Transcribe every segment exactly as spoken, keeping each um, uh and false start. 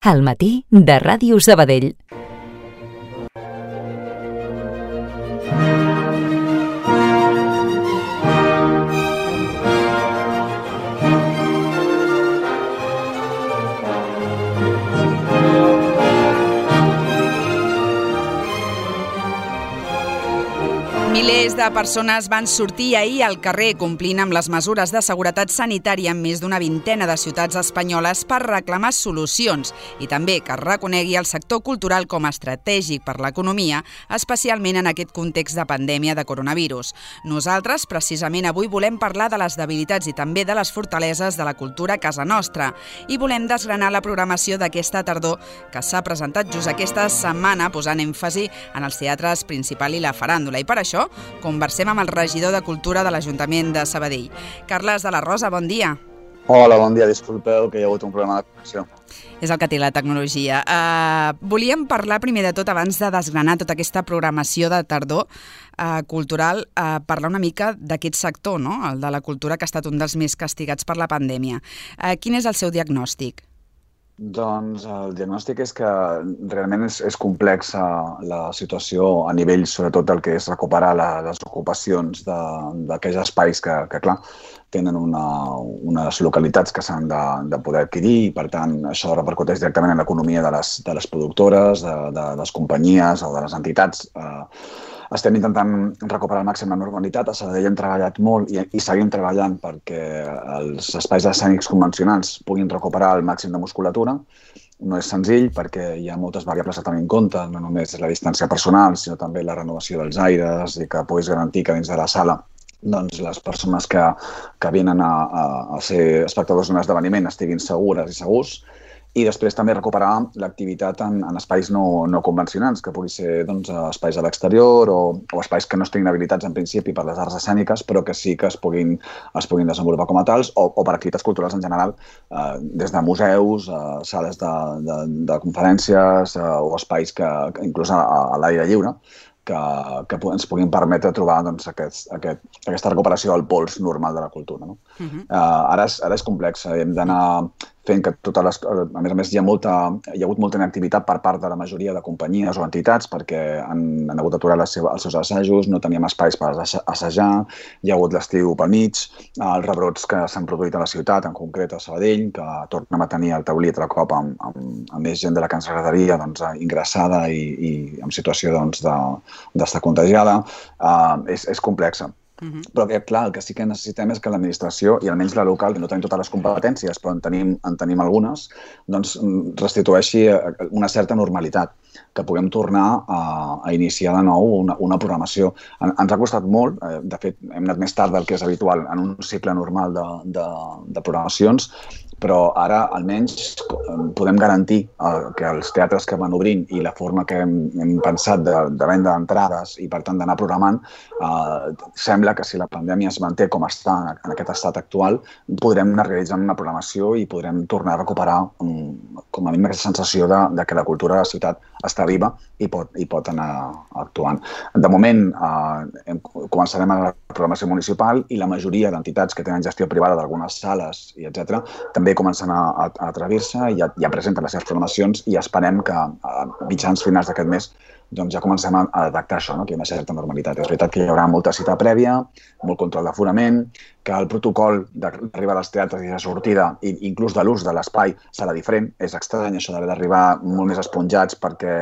Al matí de Ràdio Sabadell. Milers de persones van sortir ahir al carrer complint amb les mesures de seguretat sanitària en més d'una vintena de ciutats espanyoles per reclamar solucions i també que es reconegui el sector cultural com a estratègic per l'economia, especialment en aquest context de pandèmia de coronavirus. Nosaltres, precisament avui, volem parlar de les debilitats i també de les fortaleses de la cultura a casa nostra i volem desgranar la programació d'aquesta tardor que s'ha presentat just aquesta setmana posant èmfasi en els teatres principal i la faràndula. I per això conversem amb el regidor de Cultura de l'Ajuntament de Sabadell. Carles de la Rosa, bon dia. Hola, bon dia. Disculpeu que hi ha hagut un problema de connexió. És el que té la tecnologia. Uh, volíem parlar primer de tot, abans de desgranar tota aquesta programació de tardor uh, cultural, uh, parlar una mica d'aquest sector, no? El de la cultura, que ha estat un dels més castigats per la pandèmia. Uh, quin és el seu diagnòstic? Doncs el diagnòstic és que realment és, és complexa la situació a nivell, sobretot, del que és recuperar la, les ocupacions d'aquells espais que, que, clar, tenen una, unes localitats que s'han de, de poder adquirir i, per tant, això repercuteix directament en l'economia de les, de les productores, de, de les companyies o de les entitats. Eh, estem intentant recuperar al màxim la normalitat. A Sabadell hem treballat molt i, i seguim treballant perquè els espais escènics convencionals puguin recuperar el màxim de musculatura. No és senzill perquè hi ha moltes variables a tenir en compte, no només la distància personal, sinó també la renovació dels aires i que puguis garantir que dins de la sala doncs les persones que, que venen a, a, a ser espectadors d'un esdeveniment estiguin segures i segurs. I després també recuperar l'activitat en, en espais no, no convencionals, que pugui ser doncs, espais a l'exterior o, o espais que no estiguin habilitats en principi per les arts escèniques, però que sí que es puguin, es puguin desenvolupar com a tals, o, o per activitats culturals en general, eh, des de museus, eh, sales de, de, de conferències eh, o espais que, que inclús a, a l'aire lliure, que, que ens puguin permetre trobar doncs, aquest, aquest, aquesta recuperació al pols normal de la cultura. No? Uh-huh. uh, ara, és, ara és complex, hem d'anar fent que totes les... A més a més, hi ha, molta, hi ha hagut molta inactivitat per part de la majoria de companyies o entitats perquè han, han hagut d'aturar els seus assajos, no teníem espais per assajar, hi ha hagut l'estiu pel mig, els rebrots que s'han produït a la ciutat, en concret a Sabadell, que tornem a tenir el taulí altre cop amb, amb, amb més gent de la que ens agradaria doncs, ingressada i, i en situació doncs, de, d'estar contagiada. Uh, és, és complexa. Uh-huh. Però que, clar, el que sí que necessitem és que l'administració, i almenys la local, que no tenim totes les competències, però en tenim, en tenim algunes, doncs restitueixi una certa normalitat, que puguem tornar a, a iniciar de nou una, una programació. En, ens ha costat molt, eh, de fet, hem anat més tard del que és habitual en un cicle normal de, de, de programacions, però ara almenys podem garantir eh, que els teatres que van obrint i la forma que hem, hem pensat de, de venda d'entrades i, per tant, d'anar programant, eh, sembla que si la pandèmia es manté com està en aquest estat actual, podrem anar realitzant una programació i podrem tornar a recuperar um, com a mínim aquesta sensació de, de que la cultura de la ciutat està viva i pot, i pot anar actuant. De moment, eh, començarem a la programació municipal i la majoria d'entitats que tenen gestió privada d'algunes sales i etcètera també comencen a, a, a atrevir-se i ja, ja presenten les seves programacions i esperem que a mitjans finals d'aquest mes doncs ja comencem a, a detectar això, no? Que hi ha una certa normalitat. És veritat que hi haurà molta cita prèvia, molt control d'aforament, que el protocol d'arribar als teatres i de sortida, i inclús de l'ús de l'espai, serà diferent. És estrany això d'haver d'arribar molt més esponjats perquè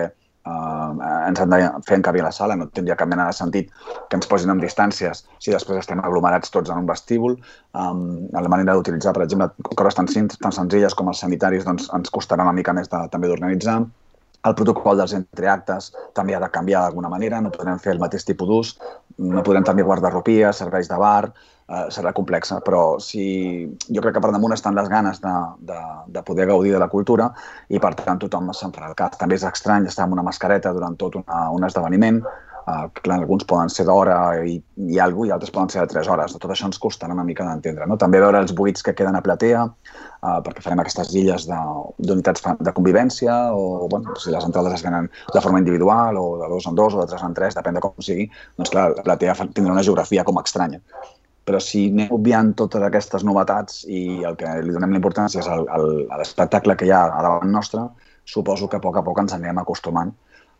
Uh, ens han de fer encabir a la sala, no tindria cap mena de sentit que ens posin en distàncies si després estem aglomerats tots en un vestíbul. Um, la manera d'utilitzar, per exemple, coses tan, tan senzilles com els sanitaris doncs, ens costarà una mica més de, també d'organitzar. El protocol dels entreactes també ha de canviar d'alguna manera, no podrem fer el mateix tipus d'ús, no podrem també guardarropia, serveis de bar, eh, serà complexa, però si, jo crec que per damunt estan les ganes de, de, de poder gaudir de la cultura i per tant tothom se'n farà el cas. També és estrany estar amb una mascareta durant tot una, un esdeveniment, eh, clar, alguns poden ser d'hora i, i alguna cosa i altres poden ser de tres hores. Tot això ens costarà una mica d'entendre. No? També veure els buits que queden a platea, Uh, perquè farem aquestes illes d'unitats de, de convivència o bueno, si les entrades es venen de forma individual o de dos en dos o de tres en tres, depèn de com sigui, doncs clar, la platea tindrà una geografia com estranya. Però si anem obviant totes aquestes novetats i el que li donem la importància és l'espectacle que hi ha a davant nostre, suposo que a poc a poc ens anirem acostumant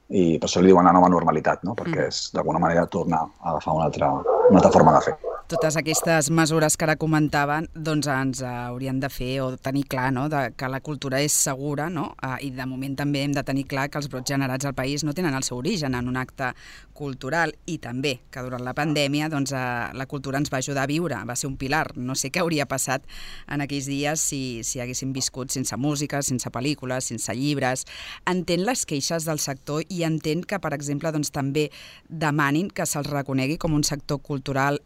i per això li diuen la nova normalitat, no? Perquè és d'alguna manera tornar a agafar una altra, una altra forma de fer. Totes aquestes mesures que ara comentaven doncs ens haurien de fer o tenir clar, no?, de que la cultura és segura, no? I de moment també hem de tenir clar que els brots generats al país no tenen el seu origen en un acte cultural i també que durant la pandèmia doncs, la cultura ens va ajudar a viure, va ser un pilar. No sé què hauria passat en aquells dies si, si haguéssim viscut sense música, sense pel·lícules, sense llibres. Entén les queixes del sector i entén que, per exemple, doncs, també demanin que se'ls reconegui com un sector cultural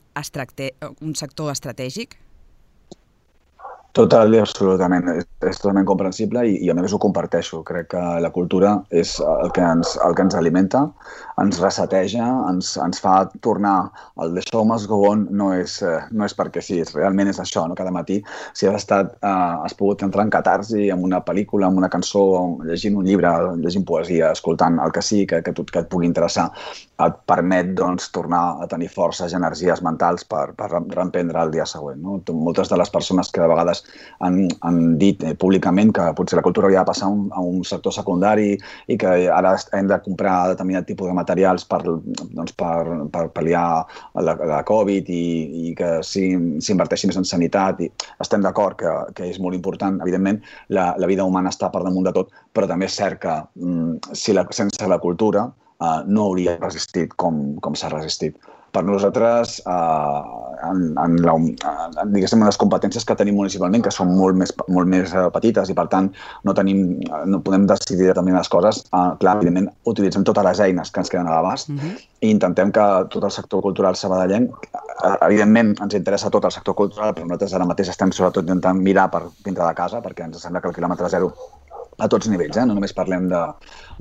un sector estratègic? Total i absolutament. És, és totalment comprensible i, i a més ho comparteixo. Crec que la cultura és el que ens, el que ens alimenta, ens reseteja, ens, ens fa tornar. El The Show Must Go On no és, no és perquè sí, realment és això, no? Cada matí, si has estat, eh, has pogut entrar en catarsi amb una pel·lícula, amb una cançó, llegint un llibre, llegint poesia, escoltant el que sí, que, que, que et pugui interessar, et permet doncs, tornar a tenir forces i energies mentals per, per reemprendre el dia següent. No? Moltes de les persones que de vegades han, han dit eh, públicament que potser la cultura hauria de passar un, a un sector secundari i que ara hem de comprar determinat tipus de materials per, doncs, per, per pal·liar la, la Covid i, i que s'inverteixi més en sanitat. I estem d'acord que, que és molt important. Evidentment, la, la vida humana està per damunt de tot, però també és cert que mm, si la, sense la cultura eh, no hauria resistit com, com s'ha resistit. Per nosaltres, eh, en, en, la, en, diguéssim, en les competències que tenim municipalment, que són molt més, molt més petites i, per tant, no, tenim, no podem decidir determinades coses, eh, clar, evidentment, utilitzem totes les eines que ens queden a l'abast uh-huh. i intentem que tot el sector cultural sabadellenc, eh, evidentment, ens interessa tot el sector cultural, però nosaltres ara mateix estem sobretot intentant mirar per dintre de casa, perquè ens sembla que el quilòmetre zero a tots nivells, eh? No només parlem de,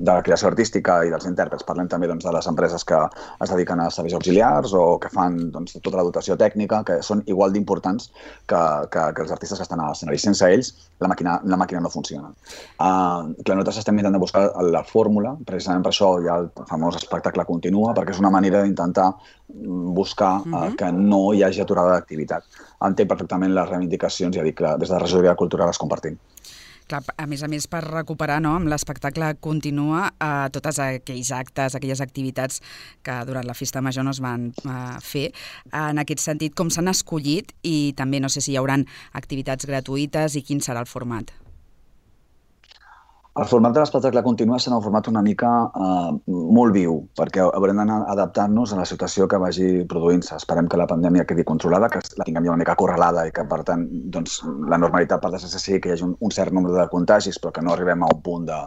de la creació artística i dels intèrprets, parlem també doncs, de les empreses que es dediquen a serveis auxiliars o que fan doncs, tota la dotació tècnica, que són igual d'importants que, que, que els artistes que estan a l'escenari. Sense ells, la màquina, la màquina no funciona. Uh, clar, nosaltres estem intentant buscar la fórmula, precisament per això hi ha el famós espectacle Continua, perquè és una manera d'intentar buscar uh, uh-huh. que no hi hagi aturada d'activitat. Entenc perfectament les reivindicacions, ja dic que des de la regidoria cultural les compartim. Clar, a més a més, per recuperar, no, amb l'espectacle Continua eh, tots aquells actes, aquelles activitats que durant la festa major no es van eh, fer. En aquest sentit, com s'han escollit i també no sé si hi haurà activitats gratuïtes i quin serà el format? El format de l'espectacle Continua serà un format una mica eh, molt viu, perquè haurem d'anar adaptant-nos a la situació que vagi produint-se. Esperem que la pandèmia quedi controlada, que la tinguem ja una mica acorralada i que, per tant, doncs, la normalitat per desgràcia sigui que hi hagi un, un cert nombre de contagis, però que no arribem a un punt de,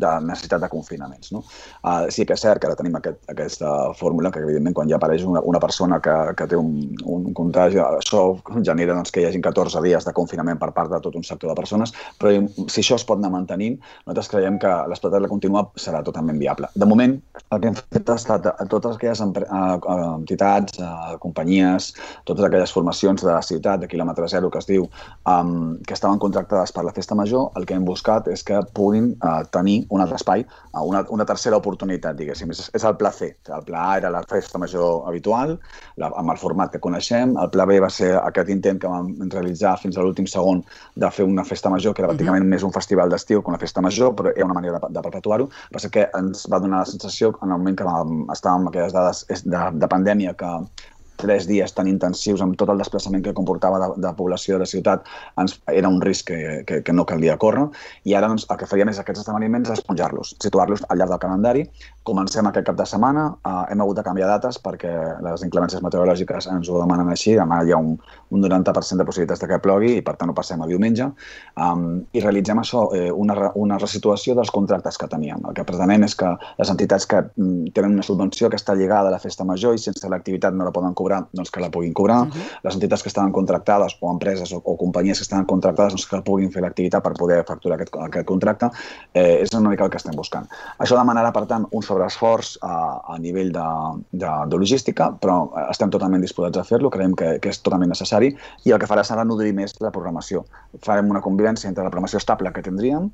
de necessitat de confinaments. No? Uh, sí que és cert que ara tenim aquest, aquesta fórmula, que evidentment quan ja apareix una, una persona que, que té un, un contagi, això genera doncs, que hi hagi catorze dies de confinament per part de tot un sector de persones, però si això es pot anar mantenint, nosaltres creiem que l'espectacle Continua serà totalment viable. De moment, el que hem fet ha estat a totes aquelles entitats, companyies, totes aquelles formacions de la ciutat, de quilòmetre zero, que es diu, um, que estaven contractades per la festa major, el que hem buscat és que puguin uh, tenir un altre espai, uh, una, una tercera oportunitat, diguéssim. És, és el pla C. El pla A era la festa major habitual, la, amb el format que coneixem. El pla B va ser aquest intent que vam realitzar fins a l'últim segon de fer una festa major, que era pràcticament uh-huh. més un festival d'estiu que una festa major, però era una manera de, de perpetuar-ho. Va ser que ens va donar la sensació, en el moment que vam estar amb aquelles dades de, de pandèmia, que tres dies tan intensius amb tot el desplaçament que comportava de, de població de la ciutat ens, era un risc que, que, que no calia córrer, i ara doncs, el que faríem és aquests esdeveniments esponjar-los, situar-los al llarg del calendari. Comencem aquest cap de setmana, eh, hem hagut de canviar dates perquè les inclemències meteorològiques ens ho demanen així, demà hi ha un, un noranta per cent de possibilitats de que plogui i per tant ho passem a diumenge, um, i realitzem això, eh, una, una resituació dels contractes que teníem. El que pretenem és que les entitats que mm, tenen una subvenció que està lligada a la festa major i sense l'activitat no la poden cobrar, doncs que la puguin cobrar. Uh-huh. Les entitats que estaven contractades o empreses o, o companyies que estaven contractades doncs que puguin fer l'activitat per poder facturar aquest, aquest contracte. Eh, és una mica el que estem buscant. Això demanarà, per tant, un sobreesforç a, a nivell de, de, de logística, però estem totalment disposats a fer-lo, creiem que, que és totalment necessari, i el que farà serà nodrir més la programació. Farem una convivència entre la programació estable que tindríem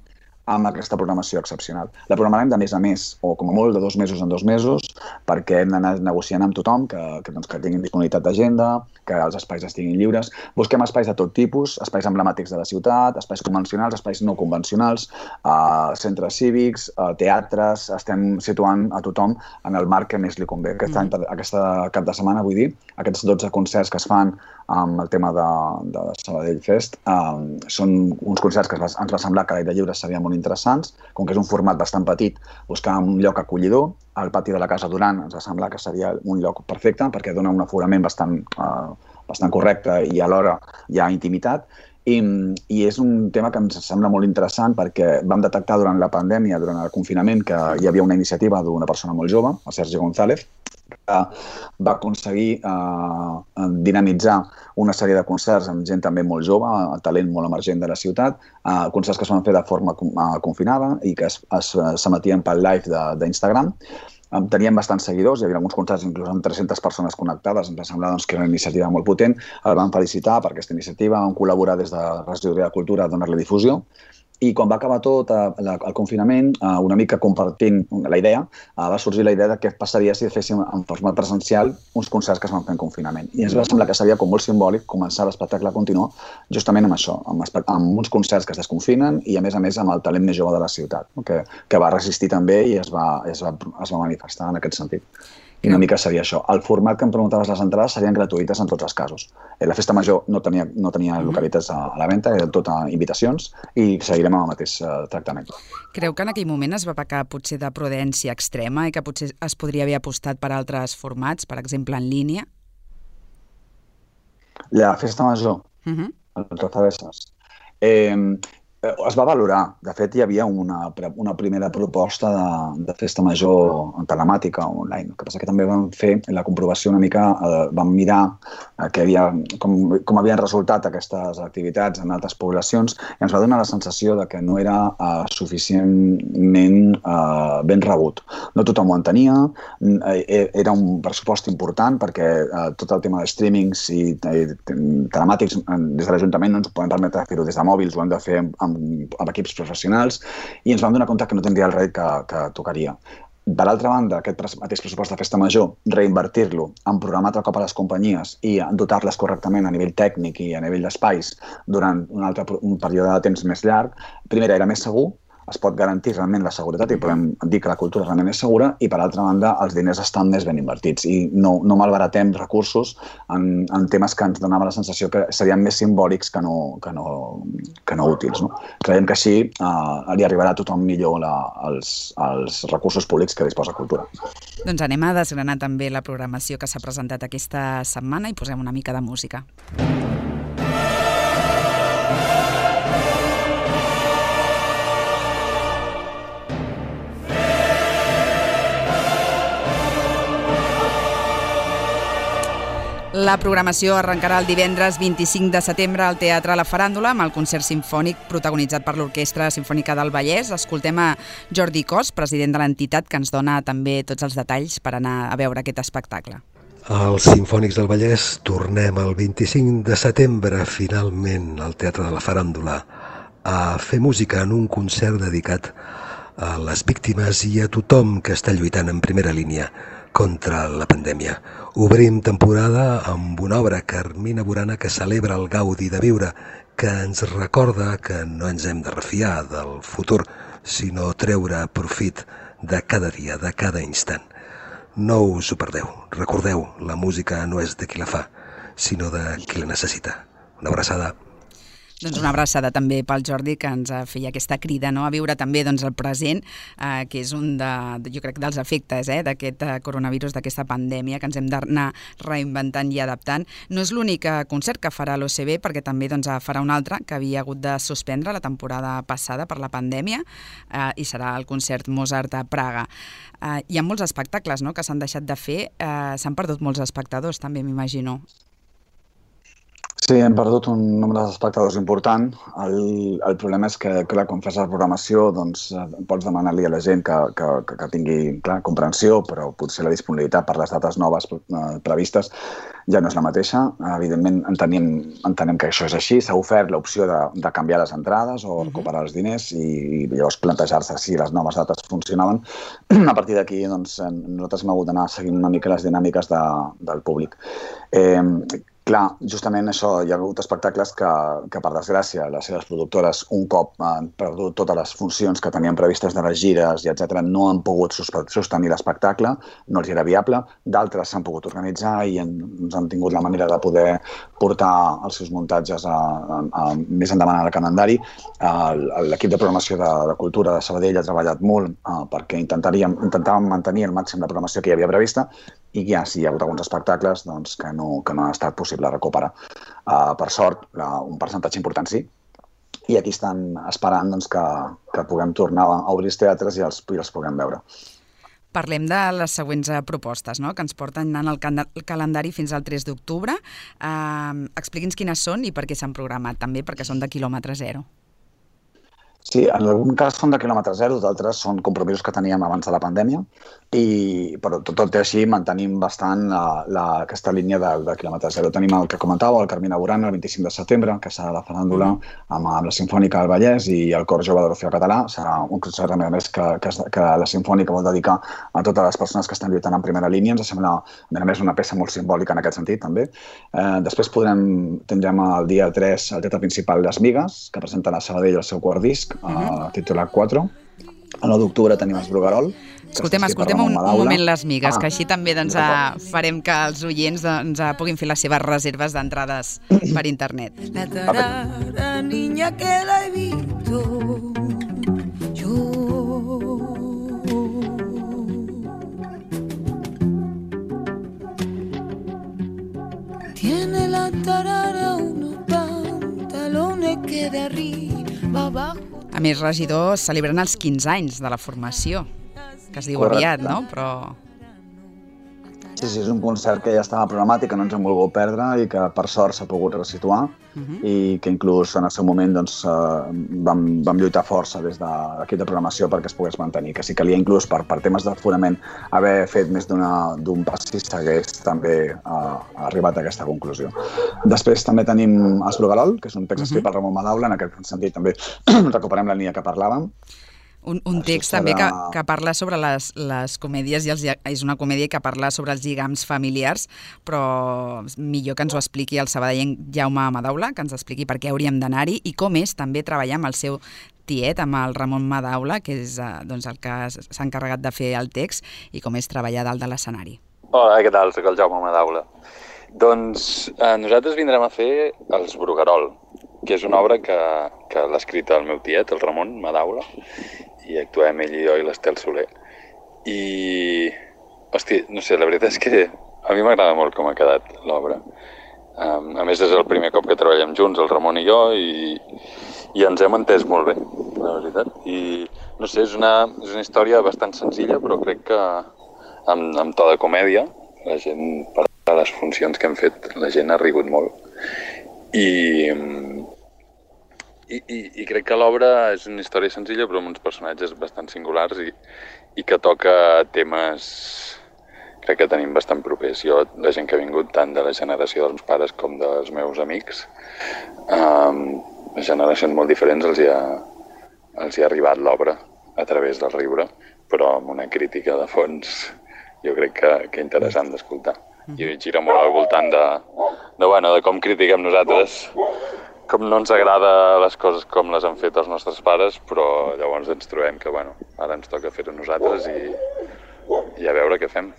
amb aquesta programació excepcional. La programarem de mes a mes, o com a molt de dos mesos en dos mesos, perquè hem d'anar negociant amb tothom que, que, doncs, que tinguin disponibilitat d'agenda, que els espais estiguin lliures. Busquem espais de tot tipus, espais emblemàtics de la ciutat, espais convencionals, espais no convencionals, uh, centres cívics, uh, teatres, estem situant a tothom en el marc que més li convé. Aquest any, aquesta cap de setmana, vull dir, aquests dotze concerts que es fan amb el tema de, de Sabadell Fest, um, són uns concerts que ens va semblar que a l'aire lliure serien molt interessants, com que és un format bastant petit, buscar un lloc acollidor. Al pati de la Casa Duran ens va semblar que seria un lloc perfecte perquè dona un aforament bastant, uh, bastant correcte i alhora hi ha intimitat. I, I és un tema que ens sembla molt interessant perquè vam detectar durant la pandèmia, durant el confinament, que hi havia una iniciativa d'una persona molt jove, el Sergi González, que va aconseguir eh, dinamitzar una sèrie de concerts amb gent també molt jove, talent molt emergent de la ciutat, eh, concerts que es van fer de forma eh, confinada i que es, es, s'emetien pel live d'Instagram. Teníem bastants seguidors, hi havia alguns concerts inclús amb tres-centes persones connectades, ens va semblar doncs, que era una iniciativa molt potent. El vam felicitar per aquesta iniciativa, vam col·laborar des de la Regidoria de Cultura a donar-li difusió. I quan va acabar tot el confinament, una mica compartint la idea, va sorgir la idea de què passaria si féssim en format presencial uns concerts que es van fer en confinament. I ens va semblar que seria com molt simbòlic començar l'espectacle a continuar justament amb això, amb, amb uns concerts que es desconfinen i a més a més amb el talent més jove de la ciutat, que, que va resistir també i es va, es va, es va manifestar en aquest sentit. I una mica seria això. El format que em preguntaves, les entrades serien gratuïtes en tots els casos. La festa major no tenia, no tenia localitats a, a la venda, era tot a invitacions i seguirem amb el mateix uh, tractament. Creu que en aquell moment es va pecar potser de prudència extrema i que potser es podria haver apostat per altres formats, per exemple en línia? La festa major, uh-huh. el Trozabesses. Eh, Es va valorar. De fet, hi havia una, una primera proposta de, de festa major telemàtica online. El que passa que també vam fer la comprovació una mica, eh, vam mirar eh, que havia, com, com havien resultat aquestes activitats en altres poblacions i ens va donar la sensació de que no era eh, suficientment eh, ben rebut. No tothom ho entenia, eh, era un pressupost important perquè eh, tot el tema de streamings i eh, telemàtics eh, des de l'Ajuntament no ens podem permetre fer-ho des de mòbils, ho hem de fer amb amb equips professionals i ens vam donar compte que no tindria el rèdit que, que tocaria. Per altra banda, aquest mateix pressupost de festa major, reinvertir-lo en programar altre cop a les companyies i dotar-les correctament a nivell tècnic i a nivell d'espais durant un altre un període de temps més llarg, primera era més segur, es pot garantir realment la seguretat i podem dir que la cultura realment és segura i, per altra banda, els diners estan més ben invertits i no, no malbaratem recursos en, en temes que ens donava la sensació que serien més simbòlics que no, que no, que no útils. No? Creiem que així eh, li arribarà a tothom millor la, els, els recursos públics que disposa Cultura. Doncs anem a desgranar també la programació que s'ha presentat aquesta setmana i posem una mica de música. La programació arrencarà el divendres vint-i-cinc de setembre al Teatre La Faràndula amb el concert simfònic protagonitzat per l'Orquestra Simfònica del Vallès. Escoltem a Jordi Cos, president de l'entitat, que ens dona també tots els detalls per anar a veure aquest espectacle. Els Simfònics del Vallès tornem el vint-i-cinc de setembre finalment al Teatre de La Faràndula a fer música en un concert dedicat a les víctimes i a tothom que està lluitant en primera línia contra la pandèmia. Obrim temporada amb una obra, Carmina Burana, que celebra el gaudi de viure, que ens recorda que no ens hem de refiar del futur, sinó treure profit de cada dia, de cada instant. No us ho perdeu. Recordeu, la música no és de qui la fa, sinó de qui la necessita. Una abraçada. Doncs una abraçada també pel Jordi, que ens feia aquesta crida, no?, a viure també doncs, el present, eh, que és un de, jo crec, dels efectes eh, d'aquest coronavirus, d'aquesta pandèmia, que ens hem d'anar reinventant i adaptant. No és l'únic concert que farà l'O C B, perquè també doncs, farà un altre que havia hagut de suspendre la temporada passada per la pandèmia, eh, i serà el concert Mozart a Praga. Eh, hi ha molts espectacles no?, que s'han deixat de fer, eh, s'han perdut molts espectadors, també m'imagino. Sí, hem perdut un nombre d'espectadors important. El, el problema és que, clar, quan fas la programació, doncs pots demanar-li a la gent que, que, que tingui, clar, comprensió, però potser la disponibilitat per les dates noves previstes ja no és la mateixa. Evidentment, entenem, entenem que això és així. S'ha ofert l'opció de, de canviar les entrades o recuperar els diners i, i llavors plantejar-se si les noves dates funcionaven. A partir d'aquí, doncs, nosaltres hem hagut d'anar seguint una mica les dinàmiques de, del públic. Eh, Clar, justament això, hi ha hagut espectacles que, que per desgràcia, les seves productores, un cop han perdut totes les funcions que tenien previstes de les gires i etcètera, no han pogut sostenir l'espectacle, no els era viable. D'altres s'han pogut organitzar i han, han tingut la manera de poder portar els seus muntatges a, a, a, més endavant al calendari. L'equip de programació de, de Cultura de Sabadell ha treballat molt uh, perquè intentaríem, intentàvem mantenir al màxim la programació que hi havia prevista i ja sí, hi ha hagut alguns espectacles doncs, que, no, que no ha estat possible recuperar. Uh, per sort, uh, un percentatge important sí, i aquí estan esperant doncs, que, que puguem tornar a obrir els teatres i els, i els puguem veure. Parlem de les següents propostes, no?, que ens porten en el calendari fins al tres d'octubre. Uh, Expliqui'ns quines són i per què s'han programat, també perquè són de quilòmetre zero. Sí, en algun cas són de quilòmetre zero, d'altres són compromisos que teníem abans de la pandèmia, i, però tot, tot i així mantenim bastant la, la, aquesta línia de, de quilòmetre zero. Tenim el que comentàveu, el Carmina Burana, el vint-i-cinc de setembre, que serà la faràndula amb, amb la Simfònica del Vallès i el Cor Jove de l'Orfeó Català. Serà un concert, a més, que, que, que la Simfònica vol dedicar a totes les persones que estan lluitant en primera línia. Ens sembla, a més, una peça molt simbòlica en aquest sentit, també. Eh, després podrem, tindrem el dia tres el teatre principal Les Migues, que presenten a Sabadell el seu quart disc, Uh, titulat quatre. El nou d'octubre tenim els Bruguerol. Escoltem, escoltem un, un moment Les Migues, ah, que així també doncs, farem que els oients doncs, puguin fer les seves reserves d'entrades per internet. La tarara, niña que la he visto yo. Tiene la tarara unos pantalones que de arriba abajo. A més, regidor, celebren els quinze anys de la formació, que es diu Correcte. Aviat, no? Però... Sí, sí, és un concert que ja estava programat i que no ens hem volgut perdre i que per sort s'ha pogut resituar uh-huh. i que inclús en el seu moment doncs, vam, vam lluitar força des de l'equip de programació perquè es pogués mantenir, que si calia inclús per, per temes d'aforament haver fet més d'un passis s'hagués també uh, arribat a aquesta conclusió. Després també tenim Els Bruguerol, que és un text escrit uh-huh. per Ramon Madaula, en aquest sentit també recuperem la línia que parlàvem. Un, un text també que, que parla sobre les, les comèdies, i els, és una comèdia que parla sobre els lligams familiars, però millor que ens ho expliqui el sabadellenc Jaume Madaula, que ens expliqui per què hauríem d'anar-hi i com és també treballar amb el seu tiet, amb el Ramon Madaula, que és doncs, el que s'ha encarregat de fer el text, i com és treballar dalt de l'escenari. Hola, què tal? Soc el Jaume Madaula. Doncs eh, nosaltres vindrem a fer Els Bruguerol, que és una obra que, que l'ha escrit el meu tiet, el Ramon Madaula, i actuem ell i jo i l'Estel Soler. I, hosti, no sé, la veritat és que a mi m'agrada molt com ha quedat l'obra. Um, a més, és el primer cop que treballem junts, el Ramon i jo, i, i ens hem entès molt bé, la veritat. I, no sé, és una, és una història bastant senzilla, però crec que amb, amb to de comèdia, la gent, per les funcions que hem fet, la gent ha rigut molt. I... I, i, i crec que l'obra és una història senzilla però amb uns personatges bastant singulars i, i que toca temes crec que tenim bastant propers. Jo, la gent que ha vingut tant de la generació dels meus pares com dels meus amics, um, generacions molt diferents els hi ha, els hi ha arribat l'obra a través del riure, però amb una crítica de fons jo crec que, que interessant d'escoltar. I gira molt al voltant de, de, bueno, de com critiquem nosaltres, com no ens agrada les coses com les han fet els nostres pares, però llavors ens trobem que, bueno, ara ens toca fer-ho nosaltres i, i a veure què fem.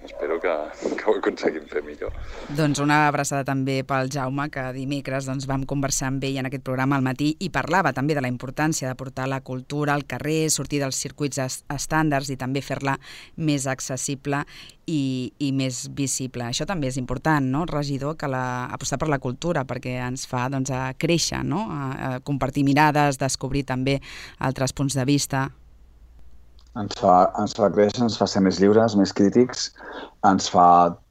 Espero que, que ho aconseguim fer millor. Doncs una abraçada també pel Jaume, que dimecres doncs, vam conversar amb ell en aquest programa al matí i parlava també de la importància de portar la cultura al carrer, sortir dels circuits estàndards i també fer-la més accessible i, i més visible. Això també és important, no, regidor, que la, apostar per la cultura, perquè ens fa doncs, a créixer, no? a, a compartir mirades, descobrir també altres punts de vista. Ens fa, ens fa créixer, ens fa ser més lliures, més crítics, ens fa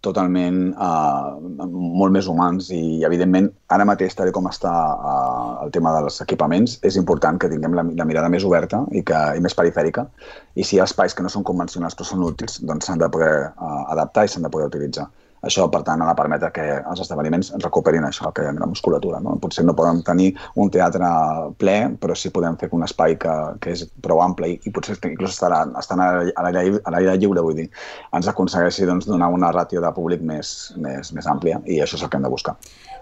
totalment uh, molt més humans i, evidentment, ara mateix, tal com està uh, el tema dels equipaments, és important que tinguem la, la mirada més oberta i, que, i més perifèrica, i si hi ha espais que no són convencionals però són útils, doncs s'han de poder uh, adaptar i s'han de poder utilitzar. Això, per tant, ha de permetre que els esdeveniments recuperin això, que la musculatura. No? Potser no podem tenir un teatre ple, però sí podem fer un espai que, que és prou ample i, i potser inclús estarà, estan a l'aire lliure, vull dir, ens aconsegueixi doncs, donar una ràtio de públic més, més, més àmplia i això és el que hem de buscar.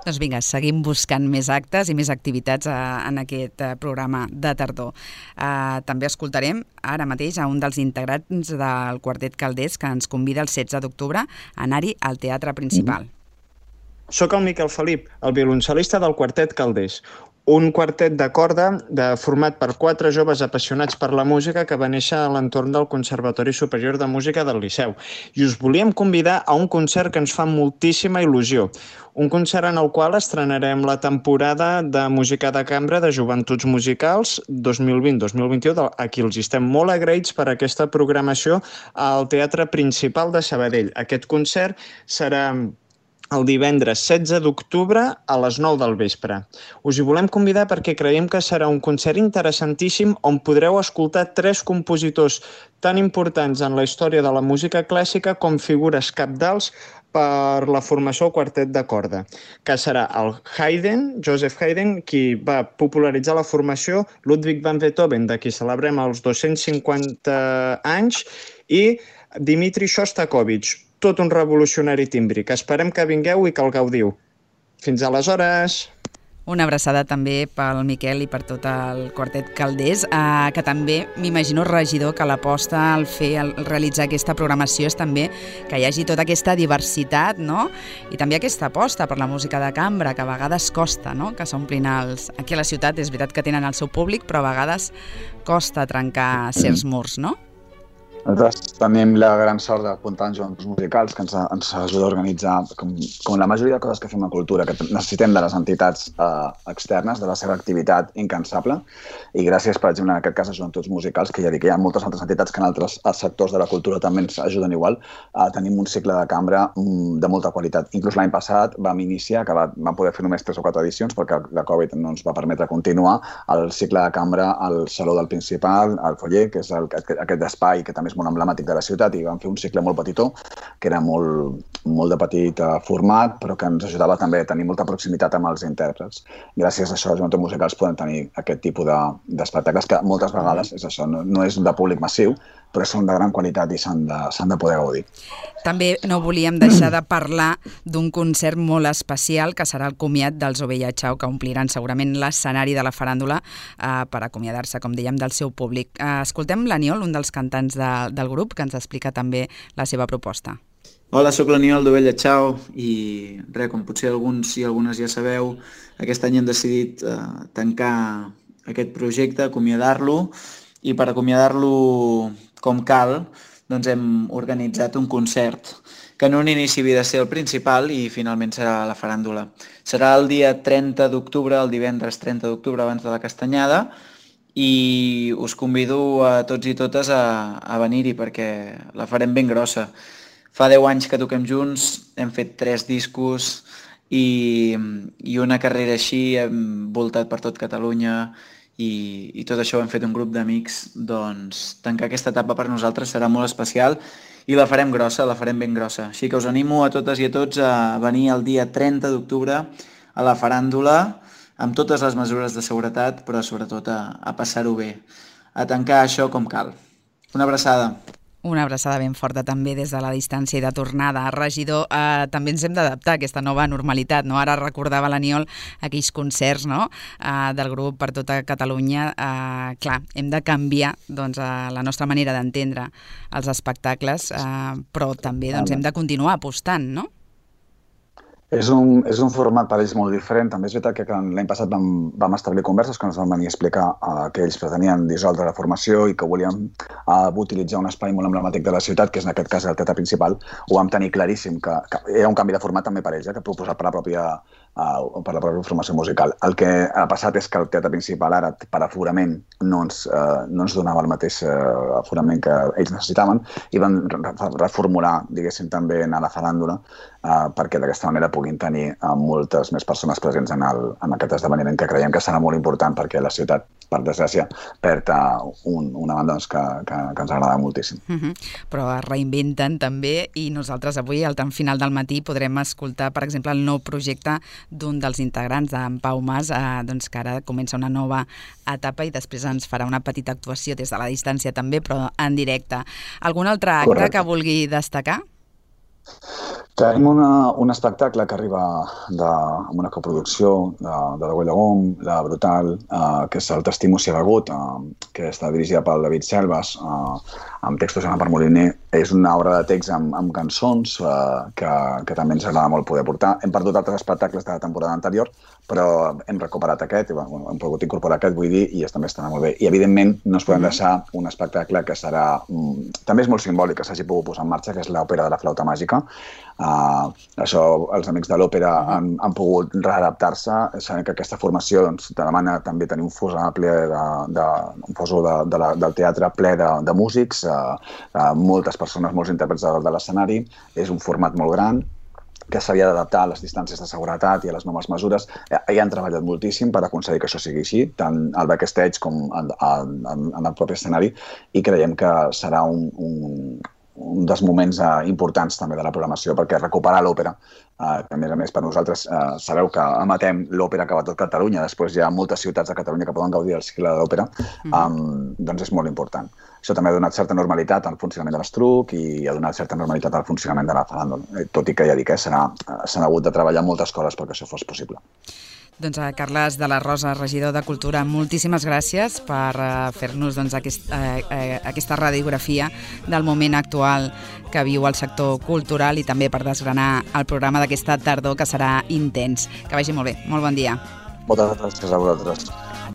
Doncs vinga, seguim buscant més actes i més activitats a, en aquest a, programa de tardor. Uh, també escoltarem ara mateix a un dels integrants del Quartet Calders que ens convida el setze d'octubre a anar-hi al teatre principal. Mm-hmm. Soc el Miquel Felip, el violoncel·lista del Quartet Calders, un quartet de corda de, format per quatre joves apassionats per la música que va néixer a l'entorn del Conservatori Superior de Música del Liceu. I us volíem convidar a un concert que ens fa moltíssima il·lusió. Un concert en el qual estrenarem la temporada de música de cambra de Joventuts Musicals dos mil vint dos mil vint-i-u, a qui els estem molt agraïts per aquesta programació al Teatre Principal de Sabadell. Aquest concert serà el divendres setze d'octubre a les nou del vespre. Us hi volem convidar perquè creiem que serà un concert interessantíssim on podreu escoltar tres compositors tan importants en la història de la música clàssica com figures cabdals per la formació del quartet de corda, que serà el Haydn, Joseph Haydn, qui va popularitzar la formació, Ludwig van Beethoven, de qui celebrem els dos-cents cinquanta anys, i Dmitri Shostakovich, tot un revolucionari tímbric. Esperem que vingueu i que el gaudiu. Fins aleshores! Una abraçada també pel Miquel i per tot el Quartet Calders, eh, que també m'imagino, regidor, que l'aposta al fer, al realitzar aquesta programació és també que hi hagi tota aquesta diversitat, no? I també aquesta aposta per la música de cambra, que a vegades costa, no? Que s'omplin els... Aquí a la ciutat és veritat que tenen el seu públic, però a vegades costa trencar certs murs, no? Nosaltres tenim la gran sort d'apuntar en jocs musicals que ens, ens ajuda a organitzar, com, com la majoria de coses que fem a cultura, que necessitem de les entitats eh, externes, de la seva activitat incansable, i gràcies, per exemple, en aquest cas a Joventuts Musicals, que ja dic que hi ha moltes altres entitats que en altres sectors de la cultura també ens ajuden igual, eh, tenim un cicle de cambra mm, de molta qualitat. Inclús l'any passat vam iniciar, que va, vam poder fer només tres o quatre edicions, perquè la Covid no ens va permetre continuar, el cicle de cambra al Saló del Principal, al Foller, que és el, aquest, aquest espai que també molt emblemàtic de la ciutat, i vam fer un cicle molt petitó, que era molt, molt de petit format, però que ens ajudava també a tenir molta proximitat amb els intèrprets. Gràcies a això, els Joventuts Musicals poden tenir aquest tipus d'espectacles que moltes vegades és això, no, no és de públic massiu, però són de gran qualitat i s'han de, s'han de poder gaudir. També no volíem deixar de parlar d'un concert molt especial, que serà el comiat dels Ovella Chao, que ompliran segurament l'escenari de la faràndula eh, per acomiadar-se, com dèiem, del seu públic. Eh, escoltem l'Aniol, un dels cantants de, del grup, que ens explica també la seva proposta. Hola, sóc l'Aniol d'Ovella Chao i res, com potser alguns i algunes ja sabeu, aquest any hem decidit eh, tancar aquest projecte, acomiadar-lo, i per acomiadar-lo com cal, doncs hem organitzat un concert que en un inici havia de ser el principal i finalment serà la faràndula. Serà el dia trenta d'octubre, el divendres trenta d'octubre abans de la Castanyada, i us convido a tots i totes a, a venir-hi perquè la farem ben grossa. Fa deu anys que toquem junts, hem fet tres discos i, i una carrera així, hem voltat per tot Catalunya, I, i tot això ho hem fet un grup d'amics, doncs tancar aquesta etapa per nosaltres serà molt especial i la farem grossa, la farem ben grossa. Així que us animo a totes i a tots a venir el dia trenta d'octubre a la faràndula amb totes les mesures de seguretat, però sobretot a, a passar-ho bé, a tancar això com cal. Una abraçada. Una abraçada ben forta també des de la distància i de tornada. Regidor, eh, també ens hem d'adaptar a aquesta nova normalitat, no? Ara recordava l'Aniol aquells concerts, no? eh, del grup per tota Catalunya. Eh, clar, hem de canviar doncs, eh, la nostra manera d'entendre els espectacles, eh, però també doncs, hem de continuar apostant, no? És un, és un format per ells molt diferent. També és veritat que l'any passat vam, vam establir converses que ens van venir a explicar uh, que ells pretenien dissoldre la formació i que volien uh, utilitzar un espai molt emblemàtic de la ciutat, que és en aquest cas el teatre principal. Ho vam tenir claríssim, que, que era un canvi de format també per ells, eh, que proposat per la pròpia uh, per la pròpia formació musical. El que ha passat és que el teatre principal ara, per aforament, no ens, uh, no ens donava el mateix uh, aforament que ells necessitaven i van reformular, diguéssim, també a la faràndula uh, perquè d'aquesta manera puguin tenir uh, moltes més persones presents en, el, en aquest esdeveniment que creiem que serà molt important perquè la ciutat, per desgràcia, perd uh, un, una banda doncs, que, que, que ens agrada moltíssim. Uh-huh. Però es reinventen també i nosaltres avui, al tram final del matí, podrem escoltar, per exemple, el nou projecte d'un dels integrants, d'en Pau Mas, eh, doncs que ara comença una nova etapa i després ens farà una petita actuació des de la distància també, però en directe. Algun altre acte Correcte. Que vulgui destacar? Tenim una, un espectacle que arriba de, amb una coproducció de, de la Güell de Gom, la Brutal, eh, que és el T'estimo si begut, eh, que està dirigida pel David Selvas, eh, amb textos d'Anna Per Moliner. És una obra de text amb, amb cançons eh, que, que també ens agrada molt poder portar. Hem perdut altres espectacles de la temporada anterior, però hem recuperat aquest, i, bueno, hem pogut incorporar aquest, vull dir, i també estarà molt bé. I, evidentment, no ens podem deixar un espectacle que serà... Mm, també és molt simbòlic que s'hagi pogut posar en marxa, que és l'òpera de la flauta màgica. Uh, això, els amics de l'òpera han, han pogut readaptar-se. Sabem que aquesta formació doncs, demana també tenir un fos ampli de, de, un fos de, de la, del teatre ple de, de músics, uh, uh, moltes persones, molts intèrprets de, de l'escenari. És un format molt gran que s'havia d'adaptar a les distàncies de seguretat i a les noves mesures. Hi han treballat moltíssim per aconseguir que això sigui així, tant al backstage com en, en, en el propi escenari, i creiem que serà un, un, un dels moments uh, importants també de la programació, perquè recuperar l'òpera, uh, que a més a més per nosaltres uh, sabeu que emetem l'òpera que va a tot Catalunya, després hi ha moltes ciutats de Catalunya que poden gaudir del cicle de l'òpera, um, doncs és molt important. Això també ha donat certa normalitat al funcionament de l'Estruc i ha donat certa normalitat al funcionament de la faràndula, tot i que ja dic que s'han hagut de treballar moltes coses perquè això fos possible. Doncs a Carles de la Rosa, regidor de Cultura, moltíssimes gràcies per uh, fer-nos doncs, aquest, uh, uh, aquesta radiografia del moment actual que viu el sector cultural i també per desgranar el programa d'aquesta tardor que serà intens. Que vagi molt bé. Molt bon dia. Moltes gràcies a vosaltres.